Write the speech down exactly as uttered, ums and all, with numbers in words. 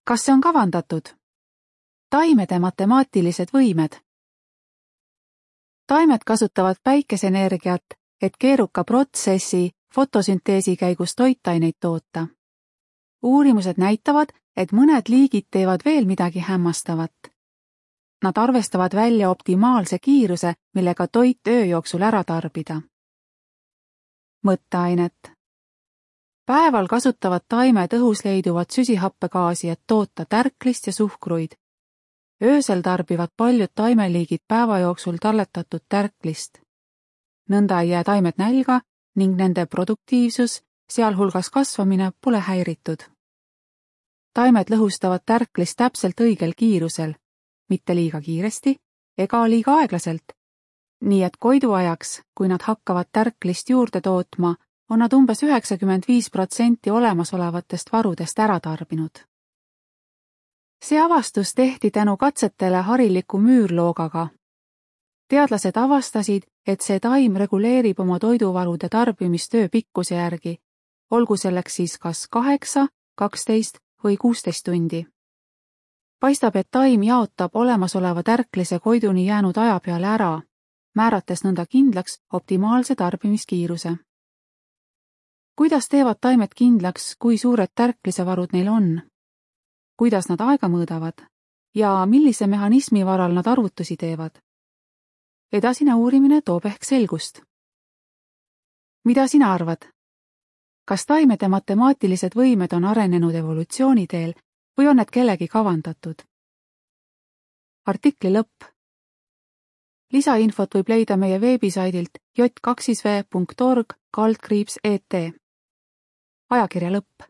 Kas see on kavandatud? Taimede matemaatilised võimed. Taimed kasutavad päikeseenergiat, et keeruka protsessi fotosünteesi käigus toitaineid toota. Uurimused näitavad, et mõned liigid teevad veel midagi hämmastavat. Nad arvestavad välja optimaalse kiiruse, millega toit öö jooksul ära tarbida. Mõtteainet. Päeval kasutavad taimed õhus leiduvat süsihappegaasi, et toota tärklist ja suhkruid. Öösel tarbivad paljud taimeliigid päeva jooksul talletatud tärklist. Nõnda ei jää taimed nälga ning nende produktiivsus, sealhulgas kasvamine, pole häiritud. Taimed lõhustavad tärklist täpselt õigel kiirusel, mitte liiga kiiresti ega liiga aeglaselt. Nii et koiduajaks, kui nad hakkavad tärklist juurde tootma, on nad umbes üheksakümmend viis protsenti olemasolevatest varudest ära tarbinud. See avastus tehti tänu katsetele hariliku müürloogaga. Teadlased avastasid, et see taim reguleerib oma toiduvarude tarbimist öö pikkuse järgi, olgu selleks siis kas kaheksa, kaksteist või kuusteist tundi. Paistab, et taim jaotab olemasoleva tärklise koiduni jäänud aja peale ära, määrates nõnda kindlaks optimaalse tarbimiskiiruse. Kuidas teevad taimed kindlaks, kui suured tärklisevarud neil on? Kuidas nad aega mõõdavad ja millise mehhanismi varal nad arvutusi teevad? Edasine uurimine toob ehk selgust. Mida sina arvad? Kas taimede matemaatilised võimed on arenenud evolutsiooniteel või on need kellegi kavandatud? Artikli lõpp. Lisainfot võib leida meie veebisaidilt j kaks v punkt org kaldkriips et. Ajakirja lõpp.